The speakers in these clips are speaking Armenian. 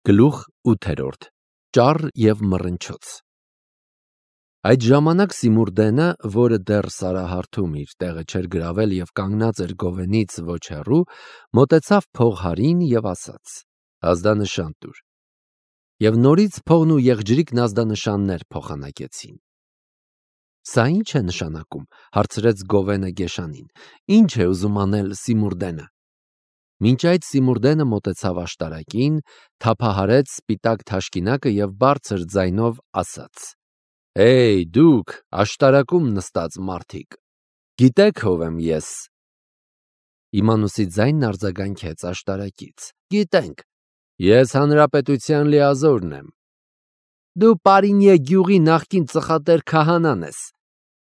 Գլուխ 8 Ճառ և մռնչոց Այդ ժամանակ Սիմուրդենը, որը դեռ սարահարթում իր տեղը չէր գրավել և կանգնած էր գովենից ոչ հեռու, մոտեցավ փողհարին և ասաց. ազդանշան տուր։ Եվ նորից փողն ու եղջերիկն ազդանշաններ փոխանակեցին։ Սա ի՞նչ է նշանակում, հարցրեց գովենը գեշանին, ի՞նչ է ուզում անել Սիմուրդենը։ Մինչ այդ Սիմուրդենը մոտեցավ աշտարակին, թափահարեց սպիտակ թաշկինակը և բարձր ձայնով ասաց. «Հեյ, դուք աշտարակում նստած մարդիկ, գիտեք ով եմ ես»։ Իմանուսի ձայնն արձագանքեց աշտարակից. «Գիտենք, ես հանրապետության լիազորն եմ»։ «Դու Պարինիե գյուղի նախկին ծխատեր քահանան ես»։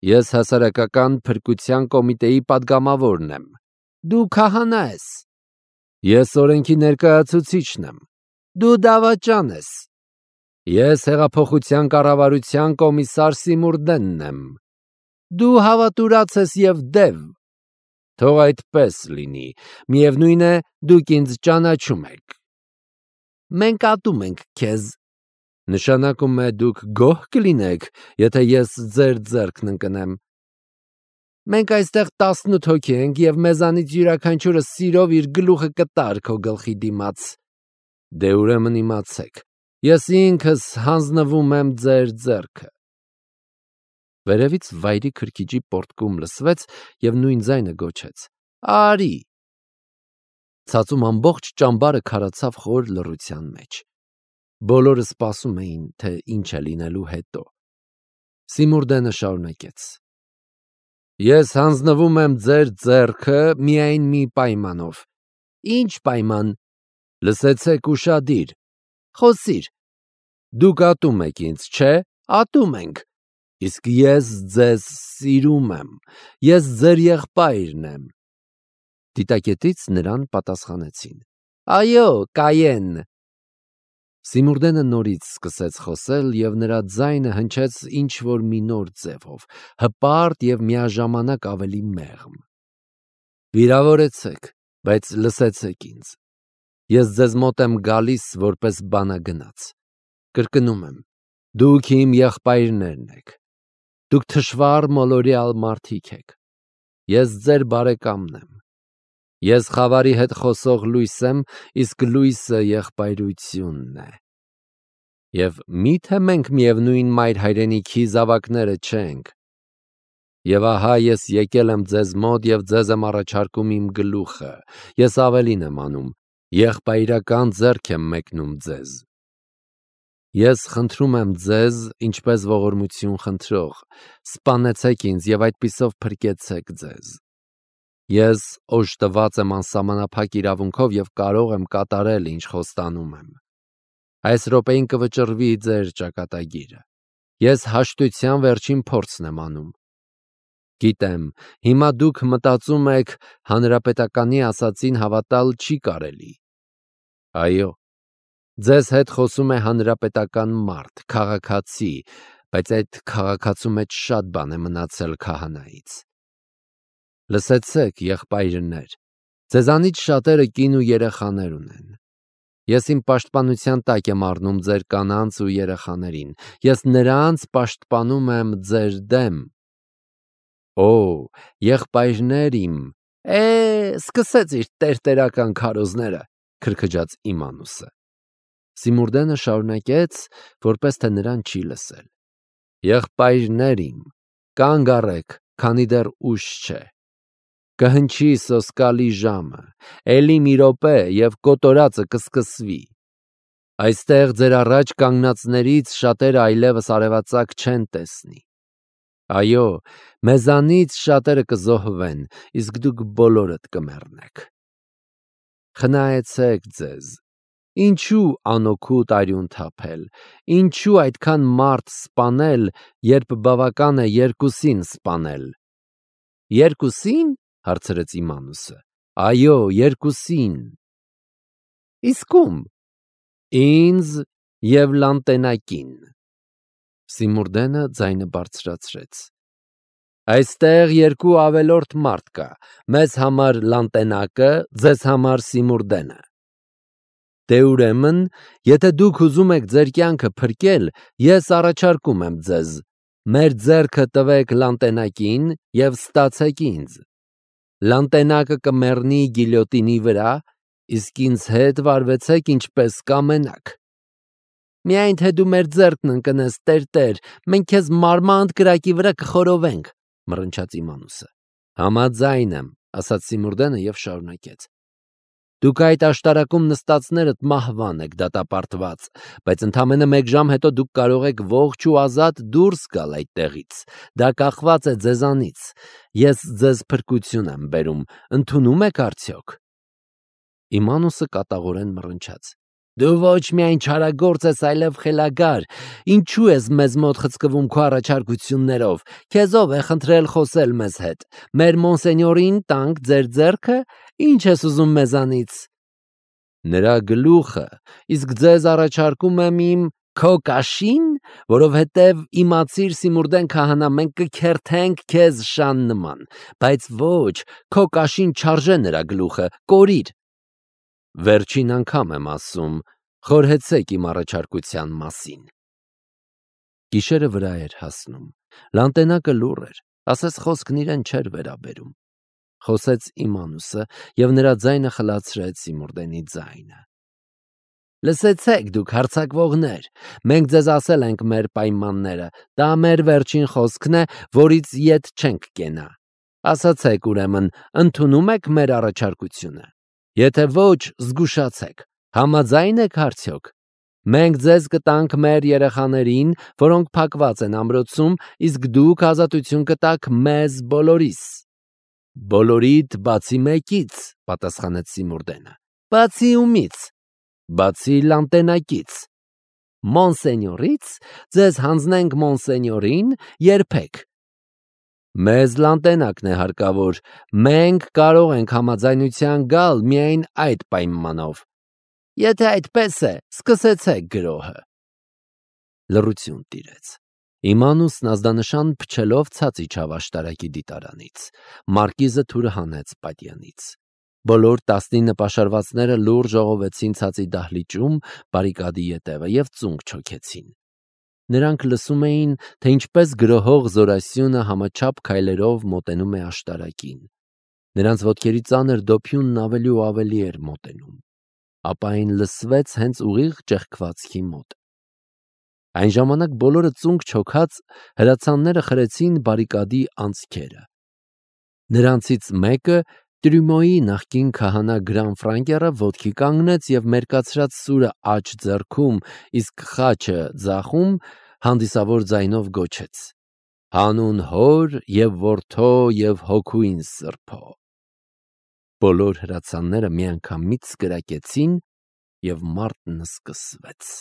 «Ես հասարակական փրկության կոմիտեի պատգամավորն եմ»։ «Դու քահանա ես»։ «Ես օրենքի ներկայացուցիչն եմ»։ «Դու դավաճան ես»։ «Ես հեղափոխության կառավարության կոմիսար Սիմուրդենն եմ»։ «Դու հավատուրաց ես և դև»։ «Թող այդպես լինի, միևնույն է, դուք ինձ ճանաչում եք»։ «Մենք ատում ենք քեզ»։ «Նշանակում է դուք գոհ կլինեք, եթե ես ձեր ձեռքն ընկնեմ»։ «Մենք այստեղ 18 հոգի ենք և մեզանից յուրաքանչյուրը սիրով իր գլուխը կտար քո գլխի դիմաց»։ «Դե ուրեմն իմացեք, ես ինքս հանձնվում եմ ձեր ձեռքը»։ Վերևից վայրի քրքիջի պոռթկում լսվեց և նույն ձայնը գոչեց. «Արի»։ Ցածում ամբողջ ճամբարը քարացավ խոր լռության մեջ։ Բոլորը սպասում էին, թե ինչ է լինելու հետո։ Սիմուրդենը շարունակեց. «Ես հանձնվում եմ ձեր ձեռքը միայն մի պայմանով»։ «Ի՞նչ պայման»։ «Լսեցեք ուշադիր»։ «Խոսիր»։ «Դուք ատում եք ինձ, չէ՞։ «Ատում ենք»։ «Իսկ ես ձեզ սիրում եմ, ես ձեր եղբայրն եմ»։ Դիտակետից նրան պատասխանեցին. «Այո, Կայեն»։ Սիմուրդենը նորից սկսեց խոսել, և նրա ձայնը հնչեց ինչ-որ մի նոր ձևով, հպարտ և միաժամանակ ավելի մեղմ։ «Վիրավորեցեք, բայց լսեցեք ինձ։ Ես ձեզ մոտ եմ գալիս որպես բանագնաց։ Կրկնում եմ, դուք իմ եղբայրներն եք։ Դուք թշվառ մոլորյալ մարդիկ եք։ Ես ձեր բարեկամն եմ։ Ես խավարի հետ խոսող լույս եմ, իսկ լույսը եղբայրությունն է։ Եվ մի՞թե մենք միևնույն մայր հայրենիքի զավակները չենք։ Եվ ահա ես եկել եմ ձեզ մոտ և ձեզ եմ առաջարկում իմ գլուխը, ես ավելին եմ անում, եղբայրական ձեռք եմ մեկնում ձեզ։ Ես խնդրում եմ ձեզ, ինչպես ողորմություն խնդրող, սպանեցեք ինձ և այդպիսով փրկեցեք ձեզ։ Ես օժտված եմ անսահմանափակ իրավունքով և կարող եմ կատարել, ինչ խոստանում եմ։ Այս րոպեին կվճռվի ձեր ճակատագիրը։ Ես հաշտության վերջին փորձն եմ անում։ Գիտեմ, հիմա դուք մտածում եք, հանրապետականի ասածին հավատալ չի կարելի։ Այո, ձեզ հետ խոսում է հանրապետական մարդ, քաղաքացի, բայց այդ քաղաքացու մեջ շատ բան է մնացել քահանայից։ Լսեցեք, եղբայրներ, ձեզանից շատերը կին ու երեխաներ ունեն։ Ես իմ պաշտպանության տակ եմ առնում ձեր կանանց ու երեխաներին։ Ես նրանց պաշտպանում եմ ձեր դեմ։ Օ, եղբայրներ իմ, սկսեց իր տերտերական քարոզները, քրքջաց Իմանուսը։ Սիմուրդենը շարունակեց, որպես թե նրան չի լսել. Եղբայրներ իմ, կանգ առեք, քանի դեռ ուշ չէ։ Կհնչի սոսկալի ժամը, էլի մի րոպե և կոտորածը կսկսվի։ Այստեղ ձեր առաջ կանգնածներից շատերը այլևս արևածագ չեն տեսնի։ Այո, մեզանից շատերը կզոհվեն, իսկ դուք բոլորդ կմեռնեք։ Խնայեցեք ձեզ։ Ինչու անօգուտ արյուն թափել, ինչու այդքան մարդ սպանել, երբ բավական է երկուսին սպանել։ Երկուսի՞ն, հարցրեց Իմանուսը։ Այո, երկուսին։ Իսկ ում։ Ինձ և Լանտենակին։ Սիմուրդենը ձայնը բարձրացրեց։ Այստեղ երկու ավելորդ մարդ կա, մեզ համար Լանտենակը, ձեզ համար Սիմուրդենը։ Դե ուրեմն, եթե դուք ուզում եք ձեր կյանքը փրկել, ես առաջարկում եմ ձեզ. մեր ձեռքը տվեք լանտենակին և ստացեք ինձ։ Լանտենակը կմեռնի գիլյոտինի վրա, իսկ ինձ հետ վարվեցեք ինչպես կամենաք։ Միայն թե դու մեր ձեռքն ընկնես, Տեր, մենք քեզ մարմանդ կրակի վրա կխորովենք, մռնչաց Իմանուսը։ Համաձայն եմ, ասաց Սիմուրդենը և շարունակեց. Դուք այդ աշտարակում նստածներդ մահվան եք դատապարտված, բայց ընդամենը 1 ժամ հետո դուք կարող եք ողջ ու ազատ դուրս գալ այդտեղից։ Դա կախված է ձեզանից։ Ես ձեզ փրկություն եմ բերում, ընդունում եք արդյոք։ Իմանուսը կատաղորեն մռնչաց. Դու ոչ միայն չարագործ ես, այլև խելագար։ Ինչու ես մեզ մոտ խցկվում քո առաջարկություններով։ Քեզ ով է խնդրել խոսել մեզ հետ։ Մեր մոնսենյորին տանք ձեր ձեռքը, ինչ ես ուզում մեզանից։ Նրա գլուխը, իսկ ձեզ առաջարկում եմ իմ քո կաշին, որովհետև իմացիր Սիմուրդեն քահանա, մենք կքերթենք քեզ շան նման, բայց ոչ, քո կաշին չարժե նրա գլուխը, կորիր։ Վերջին անգամ եմ ասում, խորհեցեք իմ առաջարկության մասին։ Գիշերը վրա էր հասնում, լանտենակը լուռ էր, ասես խոսքն իրեն չէր վերաբերում։ Խոսեց Իմանուսը և նրա ձայնը խլացրեց Սիմուրդենի ձայնը։ Լսեցեք դուք հարձակվողներ, մենք ձեզ ասել ենք մեր պայմանները, դա մեր վերջին խոսքն է, որից ետ չենք կենա։ Ասացեք ուրեմն, ընդունում եք մեր առաջարկությունը։ Եթե ոչ, զգուշացեք, համաձայն եք արդյոք։ Մենք ձեզ կտանք մեր երեխաներին, որոնք փակված են ամրոցում, իսկ դուք ազատություն կտաք մեզ բոլորիս։ Բոլորիդ բացի մեկից, պատասխանեց Սիմուրդենը։ Բացի ումից։ Բացի լանտենակից։ Մոնսենյորից ձեզ հանձնենք մոնսենյորին, երբեք։ Մեզ լանտենակն է հարկավոր, մենք կարող ենք համաձայնության գալ միայն այդ պայմանով։ Եթե այդպես է, սկսեցեք գրոհը։ Լռություն տիրեց։ Իմանուսն ազդանշան փչելով ցած իջավ աշտարակի դիտարանից։ Մարկիզը թուրը հանեց պատյանից։ Բոլոր 19 պաշարվածները լուռ ժողովեցին ցածի դահլիճում բարիկադի ետևը և ծունկ չոքեցին։ Նրանք լսում էին, թե ինչպես գրոհող զորասյունը համաչափ քայլերով մոտենում է աշտարակին։ Նրանց ոտքերի ծանր դոփյունն ավելի ու ավելի էր մոտենում։ Ապա այն լսվեց հենց ուղիղ ճեղքվածքի մոտ։ Այն ժամանակ բոլորը ծունկ չոքած հրացանները խրեցին բարիկադի անցքերը։ Նրանցից մեկը, Տրյումոյի նախկին քահանա Գրանֆրանկերը, ոտքի կանգնեց և մերկացրած սուրը աջ ձեռքում, իսկ խաչը ձախում, հանդիսավոր ձայնով գոչեց. Հանուն Հոր և Որդու և Հոգուին Սրբո։ Բոլոր հրացանները միանգամից կրակեցին և մարտն սկսվեց։